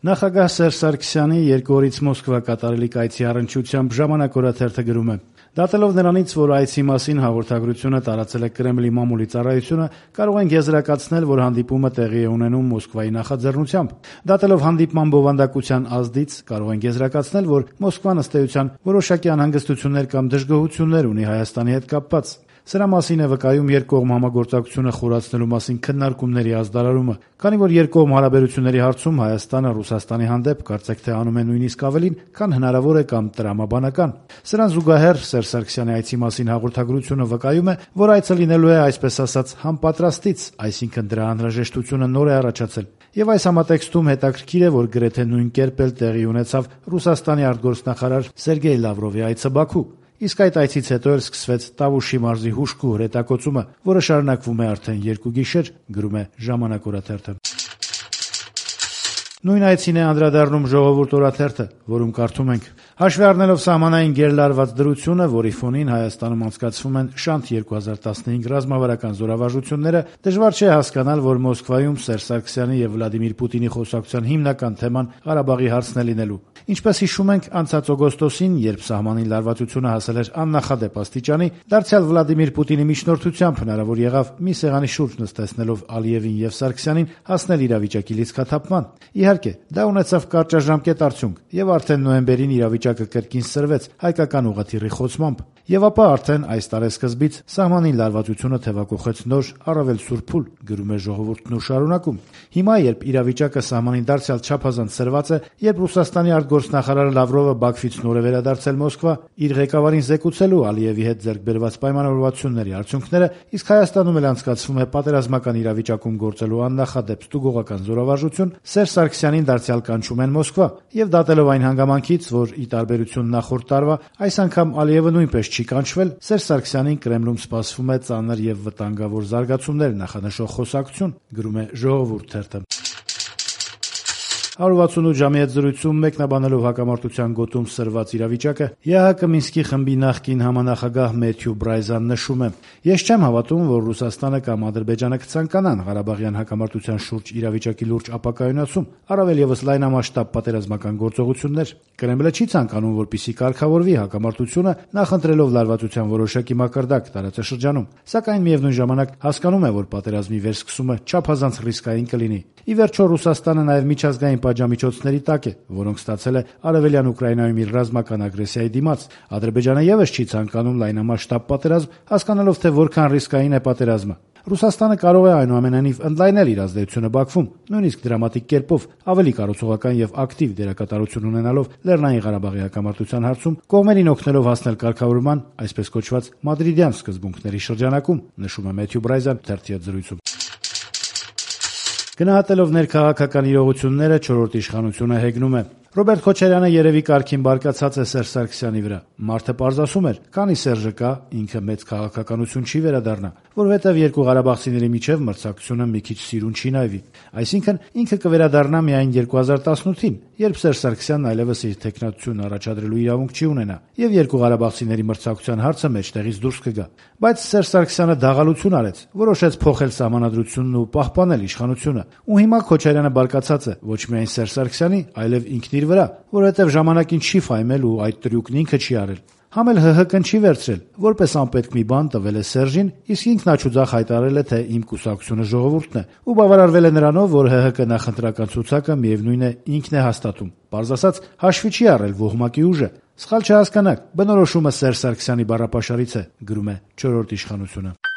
Նախագահ Սերժ Սարգսյանի 2 օրից Մոսկվա կատարելիք այցի առնչությամբ «Ժամանակ» օրաթերթը գրում է. «Դատելով նրանից, որ այցի մասին հաղորդագրությունը տարածել է Կրեմլի մամուլի ծառայությունը, կարող ենք եզրակացնել, որ հանդիպումը տեղի է ունենում Մոսկվայի նախաձեռնությամբ։ Դատելով հանդիպման բովանդակության ազդից, կարող ենք եզրակացնել, որ Մոսկվան ըստ էության որոշակի անհանգստություններ կամ դժգոհություններ ունի Հայաստանի հետ կապված։ Սրա մասին է վկայում երկկողմ համագործակցությունը խորացնելու մասին քննարկումների ազդարարումը, քանի որ երկկողմ հարաբերությունների հարցում Հայաստանը Ռուսաստանի հանդեպ կարծեք թե անում է նույնիսկ ավելին, քան հնարավոր է կամ տրամաբանական։ Սրան զուգահեռ Սերժ Սարգսյանի այցի մասին հաղորդագրությունը վկայում է, որ այցը լինելու է այսպես ասած համապատրաստից, այսինքն դրա անհրաժեշտությունը նոր է առաջացել։ Եվ այս համատեքստում հետաքրքիր է, որ գրեթե նույն կերպ էլ տեղի ունեցավ Ռուսաստանի արտգործնախարար Սերգեյ Լավրովի այցը Բաքու։ Իսկ այդ այցից հետո էլ սկսվեց Տավուշի մարզի հուժկու հրետակոծումը, որը շարունակվում է արդեն 2 գիշեր, գրում է «Ժամանակ» օրաթերթը։ Նույն այցին է անդրադառնում «Ժողովուրդ» օրաթերթը, որում կարդում ենք. «Հաշվի առնելով սահմանային գերլարված դրությունը, որի ֆոնին Հայաստանում անցկացվում են Շանթ 2015 ռազմավարական զորավարժությունները, դժվար չէ հասկանալ, որ Մոսկվայում Սերժ Սարգսյանի եւ Վլադիմիր Պուտինի խոսակցության հիմնական թեման Ղարաբաղի հարցն է լինելու։ Ինչպես հիշում ենք, անցած օգոստոսին, երբ սահմանին լարվածությունը հասել էր աննախադեպ աստիճանի, դարձյալ Վլադիմիր Պուտինի միջնորդությամբ հնարավոր եղավ մի սեղանի շուրջ նստեցնելով Ալիևին եւ Սարգսյանին հասնել իրավիճակի լիցքաթափման։ Իհարկե, դա ունեցավ կարճաժամկետ արդյունք, եւ արդեն նոյեմբերին իրավիճակը կրկին սրվեց հայկական ուղղաթիռի խոցմամբ։ Եվ ապա արդեն այս տարեսկզբից սահմանին լարվածությունը թեվակոխեց նոր, առավել սուր փուլ, գրում է «Ժողովուրդն» ու շարունակում։ Հիմա, երբ իրավիճակը սահմանին դարձյալ չափազանց սրված է, երբ Ռուսաստանի արտգործնախարար Լավրովը Բաքվից նոր է վերադարձել Մոսկվա, իր ղեկավարին զեկուցելու Ալիևի հետ ձեռք բերված պայմանավորվածությունների արդյունքները, իսկ Հայաստանում էլ անցկացվում է պատերազմական իրավիճակում գործելու աննախադեպ ստուգողական զորավարժություն, Սերժ Սարգսյանին դարձյալ կանչում են Մոսկվա, եւ դատելով այն հանգամանքից, որ ի տարբերություն նախորդ տարվա, այս անգամ Ալիևը նույնպես չի կանչվել, Սերժ Սարգսյանին Կրեմլում սպասվում է ծանր եւ վտանգավոր զարգացումներ նախանշող խոսակցություն, գրում է «Ժողովուրդ» թերթը։ 168 ժամի հետ զրույցում մեկնաբանելով հակամարտության գոտում սրված իրավիճակը, ԵԱՀԿ Մինսկի խմբի նախկին համանախագահ Մեթյու Բրայզան նշում է. «Ես չեմ հավատում, որ Ռուսաստանը կամ Ադրբեջանը կցանկանան Ղարաբաղյան հակամարտության շուրջ իրավիճակի լուրջ ապակայունացում, առավել եւս լայնամասշտաբ պատերազմական գործողություններ։ Կրեմլը չի ցանկանում, որպեսզի կարգավորվի հակամարտությունը, նախընտրելով լարվածության որոշակի մակարդակ տարածաշրջանում, սակայն միևնույն ժամանակ հասկանում է, որ պատերազմի վերսկսումը չափազանց ռիսկային կլինի։ Ի վերջո Ռուսաստանը նաեւ միջազգային պատժամիջոցների տակ է, որոնք ստացել է Արևելյան Ուկրաինայում իր ռազմական ագրեսիայի դիմաց։ Ադրբեջանը եւս չի ցանկանում լայնամասշտաբ պատերազմ, հասկանալով թե որքան ռիսկային է պատերազմը։ Ռուսաստանը կարող է այնուամենայնիվ ընդլայնել իր ազդեցությունը Բաքվում, նույնիսկ դրամատիկ կերպով, ավելի կառուցողական եւ ակտիվ դերակատարություն ունենալով Լեռնային Ղարաբաղի հակամարտության հարցում, կողմերին օգնելով հասնել կարգավորման, այսպես կոչված մադրիդյան սկզբունքների շրջանակում, նշում է Մեթյու Բրայզան թերթի հետ զրույցում։ Գնահատելով ներքաղաքական իրողությունները, 4-րդ իշխանությունը հեգնում է. Ռոբերտ Քոչարյանը երևի կարգին բարկացած է Սերժ Սարգսյանի վրա։ Մարդը պարզասում էր, քանի Սերժը կա, ինքը մեծ քաղաքականություն չի վերադառնա, որովհետև երկու ղարաբաղցիների միջև մրցակցությունը մի քիչ սիրուն չի նայվի։ Այսինքն ինքը կվերադառնա միայն 2018-ին, երբ Սերժ Սարգսյանն այլևս իր տեխնատությունն առաջադրելու իրավունք չի ունենա, եւ երկու ղարաբաղցիների մրցակցության հարցը մեջտեղից դուրս կգա։ Բայց Սերժ Սարգսյանը դաղալություն արեց, որոշեց փոխել սահմանադրությունն ու պահպանել իշխանությունը։ Ու հիմա Քոչարյանը բարկացած է ոչ միայն Սերժ Սարգսյանի, այլև ինքն իր վրա, որովհետև ժամանակին չի ֆայմել ու այդ տրյուկն ինքը չի արել։ Համ էլ ՀՀԿ-ն չի վերցրել, որպես անպետք մի բան տվել է Սերժին, իսկ ինքն աչուձախ հայտարարել է, թե իմ կուսակցությունը ժողովուրդն է, ու բավարարվել է նրանով, որ ՀՀԿ նախընտրական ցուցակը միևնույն է ինքն է հաստատում։ Պարզ ասած, հաշվի չի առել ոհմակի ուժը։ Սխալ չհասկանաք, բնորոշումը Սերժ Սարգսյանի բառապաշարից է, գրում է 4-րդ իշխանությունը։